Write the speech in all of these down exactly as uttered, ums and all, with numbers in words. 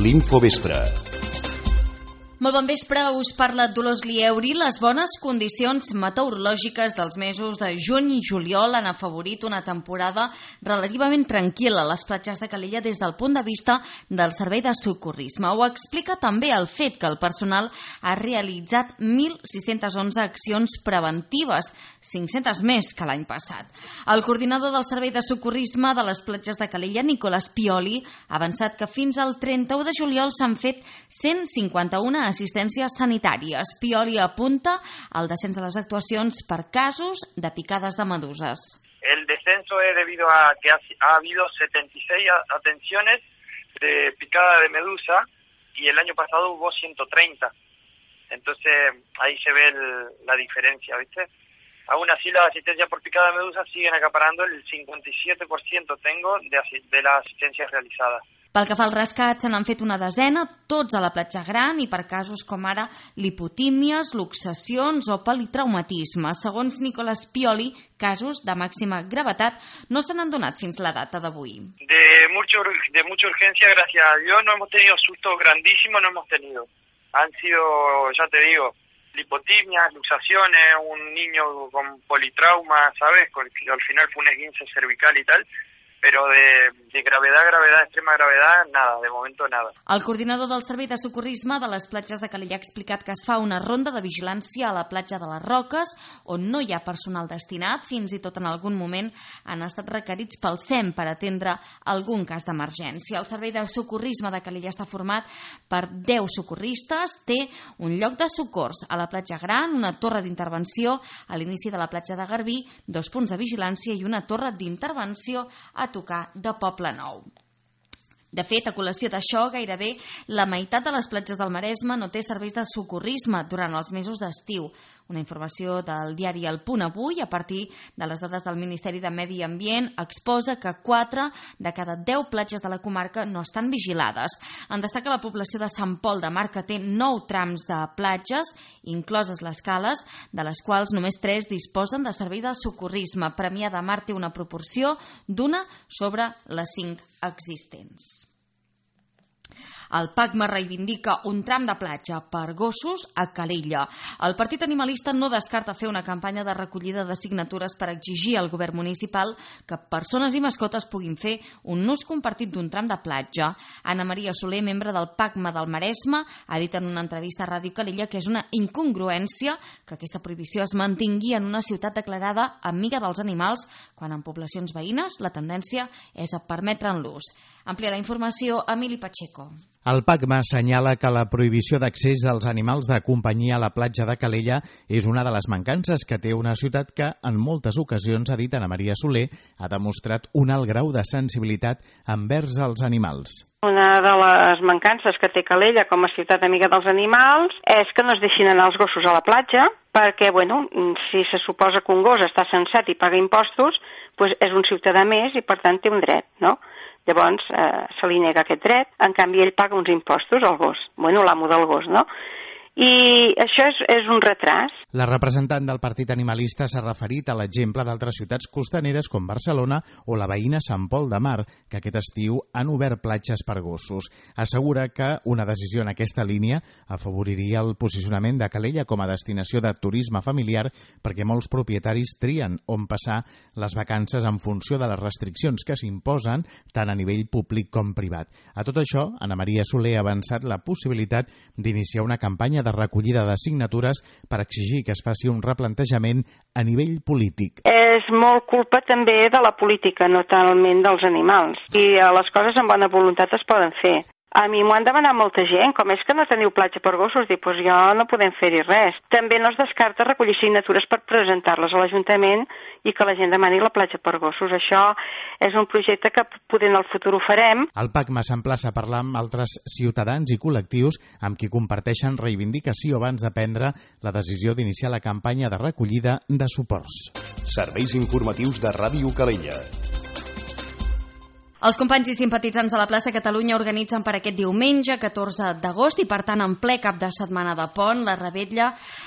L'Infovespre. Molt bon vespre, us parla Dolors Lieuri. Les bones condicions meteorològiques dels mesos de juny i juliol han afavorit una temporada relativament tranquil·la a les platges de Calella des del punt de vista del servei de socorrisme. Ho explica també el fet que el personal ha realitzat mil sis-cents onze accions preventives, cinc-centes més que l'any passat. El coordinador del servei de socorrisme de les platges de Calella, Nicolás Pioli, ha avançat que fins al trenta-u de juliol s'han fet cent cinquanta-una assistències sanitàries. Pioli apunta al descens de les actuacions per casos de picades de meduses. El descenso es debido a que ha, ha habido setenta y seis atenciones de picada de medusa y el año pasado hubo ciento treinta. Entonces ahí se ve el, la diferencia, ¿viste? Aún así las asistencias por picada de medusa siguen acaparando el cincuenta y siete por ciento tengo de, de las asistencias realizadas. Pel que fa al rescat, se n'han fet una desena, tots a la platja gran i per casos com ara lipotímies, luxacions o politraumatisme. Segons Nicolás Pioli, casos de màxima gravetat no se n'han donat fins la data d'avui. De, mucho, de mucha urgencia, gracias a Dios, no hemos tenido sustos grandísimos, no hemos tenido. Han sido, ya te digo, lipotimias, luxaciones, un niño con politrauma, ¿sabes? Que al final fue un esguince cervical y tal. Però de, de gravedad, gravedad, extrema gravedad, nada, de momento nada. El coordinador del servei de socorrisme de les platges de Calella ha explicat que es fa una ronda de vigilància a la platja de les Roques, on no hi ha personal destinat, fins i tot en algun moment han estat requerits pel S E M per atendre algun cas d'emergència. El servei de socorrisme de Calella està format per deu socorristes, té un lloc de socors a la platja gran, una torre d'intervenció a l'inici de la platja de Garbí, dos punts de vigilància i una torre d'intervenció a tocar de Poble Nou. De fet, a col·lació d'això, gairebé la meitat de les platges del Maresme no té serveis de socorrisme durant els mesos d'estiu. Una informació del diari El Punt Avui, a partir de les dades del Ministeri de Medi Ambient, exposa que quatre de cada deu platges de la comarca no estan vigilades. En destaca la població de Sant Pol de Mar, que té nou trams de platges, incloses les cales, de les quals només tres disposen de servei de socorrisme. Premià de Mar té una proporció d'una sobre les cinc existents. El PACMA reivindica un tram de platja per gossos a Calella. El Partit Animalista no descarta fer una campanya de recollida de signatures per exigir al govern municipal que persones i mascotes puguin fer un ús compartit d'un tram de platja. Anna Maria Soler, membre del PACMA del Maresme, ha dit en una entrevista a Ràdio Calella que és una incongruència que aquesta prohibició es mantingui en una ciutat declarada amiga dels animals, quan en poblacions veïnes la tendència és a permetre'n l'ús. Amplia la informació Emili Pacheco. El PACMA assenyala que la prohibició d'accés dels animals de companyia a la platja de Calella és una de les mancances que té una ciutat que, en moltes ocasions, ha dit Anna Maria Soler, ha demostrat un alt grau de sensibilitat envers els animals. Una de les mancances que té Calella com a ciutat amiga dels animals és que no es deixin anar els gossos a la platja, perquè, bueno, si se suposa que un gos està censat i paga impostos, doncs és un ciutadà més i, per tant, té un dret, no? Llavors eh, se li nega aquest dret, en canvi ell paga uns impostos al gos, bueno, l'amo del gos, no? I això és, és un retras. La representant del Partit Animalista s'ha referit a l'exemple d'altres ciutats costaneres com Barcelona o la veïna Sant Pol de Mar, que aquest estiu han obert platges per gossos. Assegura que una decisió en aquesta línia afavoriria el posicionament de Calella com a destinació de turisme familiar, perquè molts propietaris trien on passar les vacances en funció de les restriccions que s'imposen tant a nivell públic com privat. A tot això, Anna Maria Soler ha avançat la possibilitat d'iniciar una campanya de recollida de signatures per exigir que es faci un replantejament a nivell polític. És molt culpa també de la política, no talment dels animals. I les coses amb bona voluntat es poden fer. A mi m'ho han demanat molta gent, com és que no teniu platja per gossos, dic, doncs jo no podem fer-hi res. També no es descarta recollir signatures per presentar-les a l'Ajuntament i que la gent demani la platja per gossos. Això és un projecte que poder en el futur ho farem. El PACMA s'emplaça a parlar amb altres ciutadans i col·lectius amb qui comparteixen reivindicació abans de prendre la decisió d'iniciar la campanya de recollida de suports. Serveis informatius de Ràdio Calella. Els companys i simpatitzants de la plaça Catalunya organitzen per aquest diumenge, catorze d'agost, i per tant en ple cap de setmana de pont, la Revetlla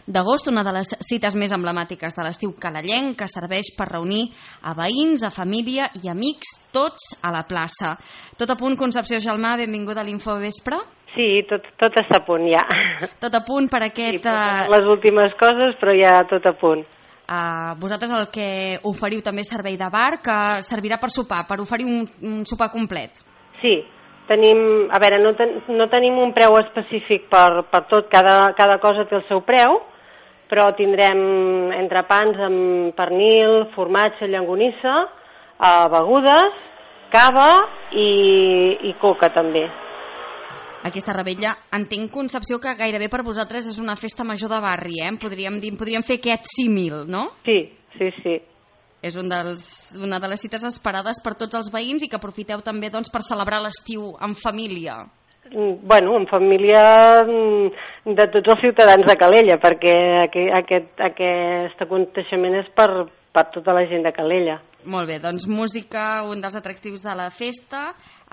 d'agost, una de les cites més emblemàtiques de l'estiu calellenc, que serveix per reunir a veïns, a família i amics, tots a la plaça. Tot a punt, Concepció Gelmà, benvinguda a l'Infovespre. Sí, tot, tot està a punt ja. Tot a punt per aquest... Sí, les últimes coses, però ja tot a punt. Uh, vosaltres el que oferiu també servei de bar, que servirà per sopar, per oferir un, un sopar complet. Sí, tenim, a veure, no, ten, no tenim un preu específic per, per tot, cada, cada cosa té el seu preu, però tindrem entrepans amb pernil, formatge, llonganissa, uh, begudes, cava i, i coca també. Aquesta Revetlla, entenc, Concepció, que gairebé per vosaltres és una festa major de barri, eh? Podríem dir, podríem fer aquest símil, no? Sí, sí, sí. És un dels, una de les cites esperades per tots els veïns i que aprofiteu també doncs, per celebrar l'estiu en família. Bueno, en família de tots els ciutadans de Calella, perquè aquest, aquest aconteixement és per, per tota la gent de Calella. Molt bé, doncs música, un dels atractius de la festa,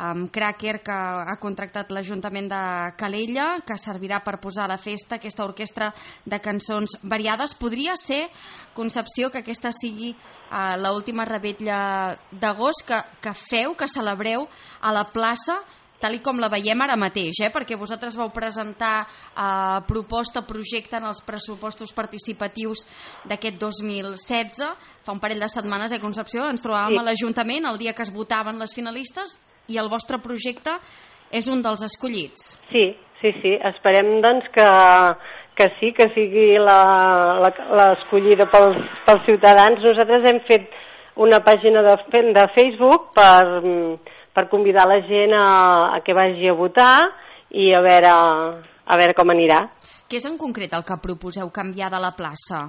amb Cracker, que ha contractat l'Ajuntament de Calella, que servirà per posar a la festa aquesta orquestra de cançons variades. Podria ser, Concepció, que aquesta sigui uh, l'última Revetlla d'agost que, que feu, que celebreu a la plaça, tal com la veiem ara mateix, eh? Perquè vosaltres vau presentar eh, proposta, projecte en els pressupostos participatius d'aquest dos mil setze, fa un parell de setmanes, eh, Concepció, ens trobàvem sí. a l'Ajuntament el dia que es votaven les finalistes i el vostre projecte és un dels escollits. Sí, sí, sí, esperem doncs que, que sí, que sigui l'escollida pels, pels ciutadans. Nosaltres hem fet una pàgina de, de Facebook per... per convidar la gent a, a que vagi a votar i a veure, a veure com anirà. Què és en concret el que proposeu canviar de la plaça?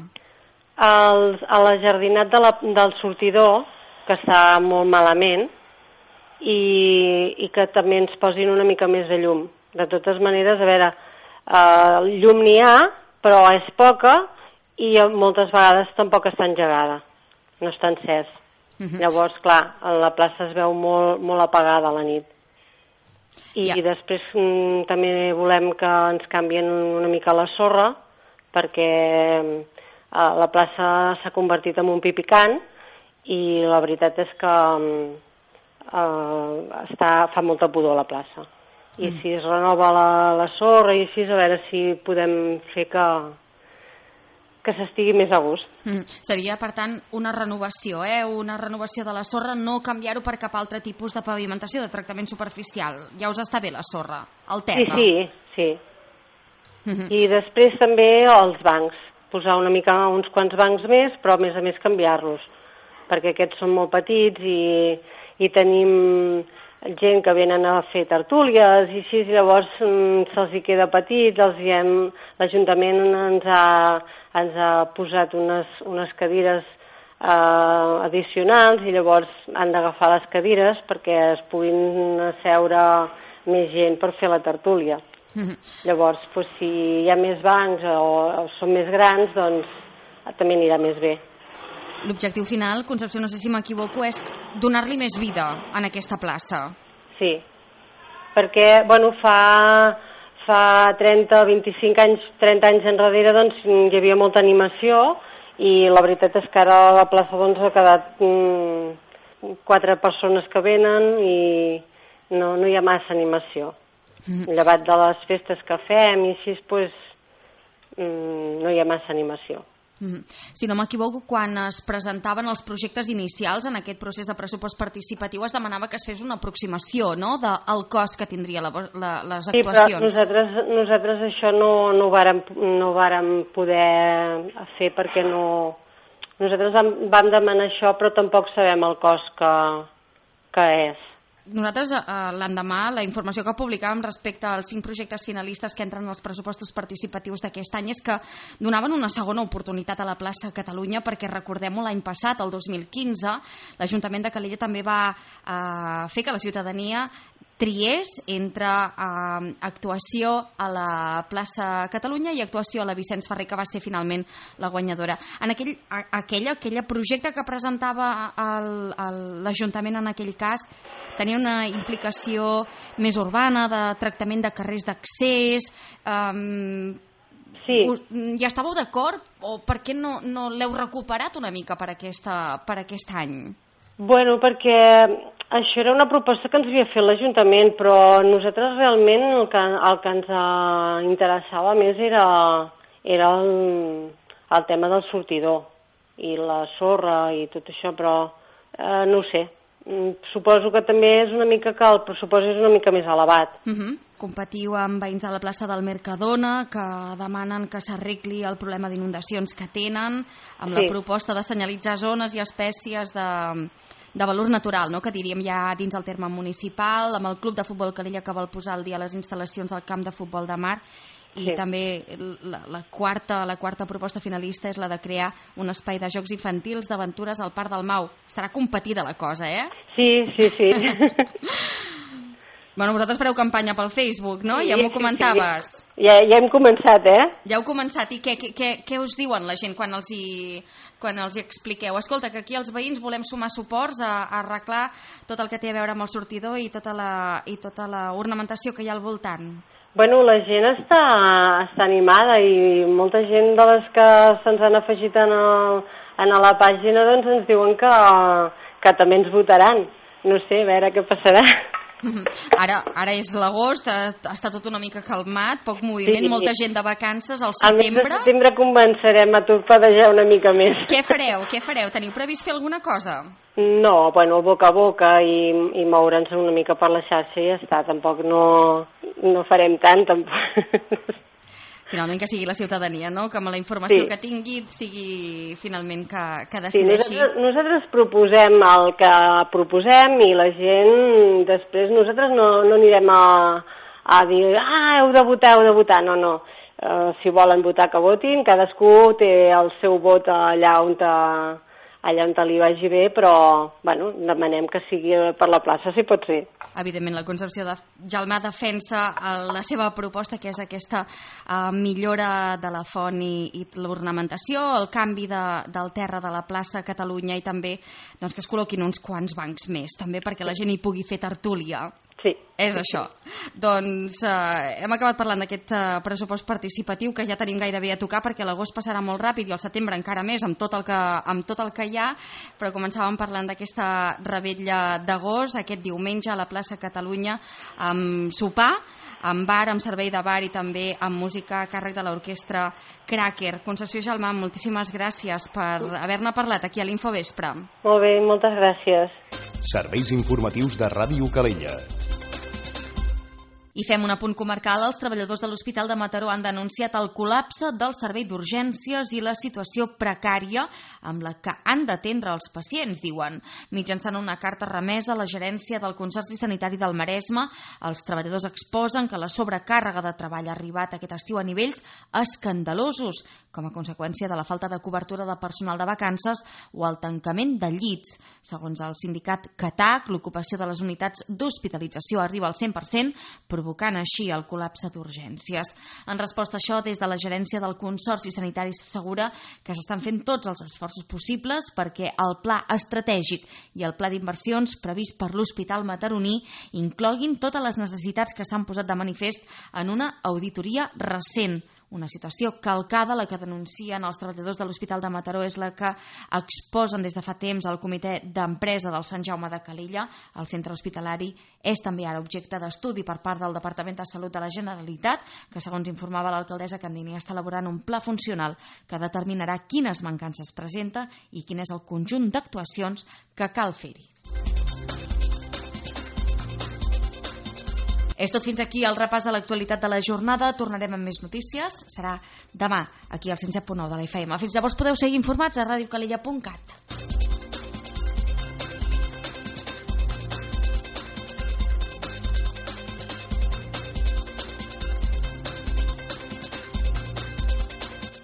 El, a la jardinat de la, del sortidor, que està molt malament, i, i que també ens posin una mica més de llum. De totes maneres, a veure, eh, llum n'hi ha, però és poca i moltes vegades tampoc està engegada, no està encès. Uh-huh. Llavors, clar, la plaça es veu molt, molt apagada a la nit. I, yeah. i després mm, també volem que ens canvien una mica la sorra, perquè eh, la plaça s'ha convertit en un pipicant i la veritat és que eh, està, fa molta pudor la plaça. I mm. si es renova la, la sorra i així, a veure si podem fer que... que s'estigui més a gust. Mm. Seria, per tant, una renovació, eh? Una renovació de la sorra, no canviar-ho per cap altre tipus de pavimentació, de tractament superficial. Ja us està bé la sorra, el terra. Sí, sí, sí. Mm-hmm. I després també els bancs, posar una mica uns quants bancs més, però a més a més canviar-los, perquè aquests són molt petits i, i tenim gent que venen a fer tertúlies i així, llavors mm, se'ls hi queda petit, els hi hem, l'Ajuntament ens ha ens ha posat unes, unes cadires eh, addicionals i llavors han d'agafar les cadires perquè es puguin asseure més gent per fer la tertúlia. Mm-hmm. Llavors, pues, si hi ha més bancs o, o són més grans, doncs també anirà més bé. L'objectiu final, Concepció, no sé si m'equivoco, és donar-li més vida en aquesta plaça. Sí, perquè, bueno, fa... Fa trenta, vint-i-cinc anys, trenta anys enrere, doncs, hi havia molta animació i la veritat és que ara la plaça doncs, ha quedat mm, quatre persones que venen i no, no hi ha massa animació. Mm. Llevat de les festes que fem i així, pues, mm, no hi ha massa animació. Mm. Si no m'equivoco, quan es presentaven els projectes inicials en aquest procés de pressupost participatiu es demanava que es fes una aproximació, no?, del cost que tindria la, la, les actuacions. Sí, però nosaltres, nosaltres això no, no, ho vàrem, no ho vàrem poder fer perquè no... Nosaltres vam, vam demanar això però tampoc sabem el cost que, que és. Nosaltres, eh, l'endemà, la informació que publicàvem respecte als cinc projectes finalistes que entren als pressupostos participatius d'aquest any és que donaven una segona oportunitat a la plaça Catalunya perquè, recordem-ho, l'any passat, el dos mil quinze, l'Ajuntament de Calella també va eh, fer que la ciutadania triés entre eh, actuació a la plaça Catalunya i actuació a la Vicenç Ferrer, que va ser finalment la guanyadora. En aquell, a, aquell, aquell projecte que presentava l'Ajuntament en aquell cas tenia una implicació més urbana, de tractament de carrers d'accés. Eh, sí. Us, ja estàveu d'acord o per què no, no l'heu recuperat una mica per, aquesta, per aquest any? Bueno, perquè això era una proposta que ens havia fet l'Ajuntament, però nosaltres realment el que, el que ens interessava més era, era el, el tema del sortidor i la sorra i tot això, però eh, no ho sé. Suposo que també és una mica que el pressupost és una mica més elevat. Uh -huh. Competiu amb veïns de la plaça del Mercadona que demanen que s'arregli el problema d'inundacions que tenen, amb sí. la proposta de senyalitzar zones i espècies de, de valor natural, no? Que diríem ja dins el terme municipal, amb el Club de Futbol Calella que vol posar al dia les instal·lacions del camp de futbol de mar. I sí. també la, la, quarta, la quarta proposta finalista és la de crear un espai de jocs infantils d'aventures al Parc del Mau. Estarà competida la cosa, eh? Sí, sí, sí. Bueno, vosaltres fareu campanya pel Facebook, no? Sí, ja m'ho sí, comentaves. Sí. Ja, ja hem començat, eh? Ja heu començat. I què, què, què us diuen la gent quan els hi, quan els hi expliqueu? Escolta, que aquí els veïns volem sumar suports a, a arreglar tot el que té a veure amb el sortidor i tota la, i tota la ornamentació que hi ha al voltant. Bueno, la gent està, està animada i molta gent de les que se'ns han afegit en, el, en la pàgina doncs ens diuen que, que també ens votaran. No sé, a veure què passarà. Ara, ara és l'agost, està tot una mica calmat, poc moviment, sí. molta gent de vacances al setembre. Al mes de setembre començarem a torpedejar una mica més. Què fareu? Què fareu? Teniu previst fer alguna cosa? No, bueno, boca a boca i, i moure'ns una mica per la xarxa i ja està, tampoc no, no farem tant, tampoc. Finalment que sigui la ciutadania, no? Que amb la informació sí. que tingui sigui finalment que, que decideixi. Sí, nosaltres, nosaltres proposem el que proposem i la gent després, nosaltres no, no anirem a, a dir ah, heu de votar, heu de votar, no, no. Uh, si volen votar que votin, cadascú té el seu vot allà on te, allà on te li vagi bé, però bueno, demanem que sigui per la plaça, si pot ser. Evidentment, la Concepció de Gelmà defensa la seva proposta, que és aquesta uh, millora de la font i, i l'ornamentació, el canvi de, del terra de la plaça Catalunya i també doncs, que es col·loquin uns quants bancs més, també perquè la gent hi pugui fer tertúlia. Sí. És això. Doncs eh, hem acabat parlant d'aquest eh, pressupost participatiu que ja tenim gairebé a tocar perquè l'agost passarà molt ràpid i el setembre encara més amb tot el que, amb tot el que hi ha, però començàvem parlant d'aquesta revetlla d'agost aquest diumenge a la plaça Catalunya amb sopar, amb bar, amb servei de bar i també amb música a càrrec de l'orquestra Cracker. Concepció Gelmà, moltíssimes gràcies per haver-ne parlat aquí a l'Infovespre. Molt bé, moltes gràcies. Serveis informatius de Ràdio Calella. I fem un apunt comarcal. Els treballadors de l'Hospital de Mataró han denunciat el col·lapse del servei d'urgències i la situació precària amb la que han d'atendre els pacients, diuen. Mitjançant una carta remesa a la gerència del Consorci Sanitari del Maresme, els treballadors exposen que la sobrecàrrega de treball ha arribat aquest estiu a nivells escandalosos, com a conseqüència de la falta de cobertura de personal de vacances o el tancament de llits. Segons el sindicat CATAC, l'ocupació de les unitats d'hospitalització arriba al cent per cent, provocant així el col·lapse d'urgències. En resposta a això, des de la gerència del Consorci Sanitari s'assegura que s'estan fent tots els esforços possibles perquè el pla estratègic i el pla d'inversions previst per l'Hospital Mataroní incloguin totes les necessitats que s'han posat de manifest en una auditoria recent. Una situació calcada, la que denuncien els treballadors de l'Hospital de Mataró, és la que exposen des de fa temps al comitè d'empresa del Sant Jaume de Calella. El centre hospitalari és també ara objecte d'estudi per part del Departament de Salut de la Generalitat, que segons informava l'alcaldessa Candini està elaborant un pla funcional que determinarà quines mancances presenta i quin és el conjunt d'actuacions que cal fer-hi. És tot fins aquí el repàs de l'actualitat de la jornada. Tornarem amb més notícies. Serà demà, aquí al cent set punt nou de la F M. Fins llavors podeu seguir informats a ràdio calella punt cat.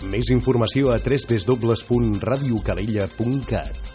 Més informació a w w w punt ràdio calella punt cat.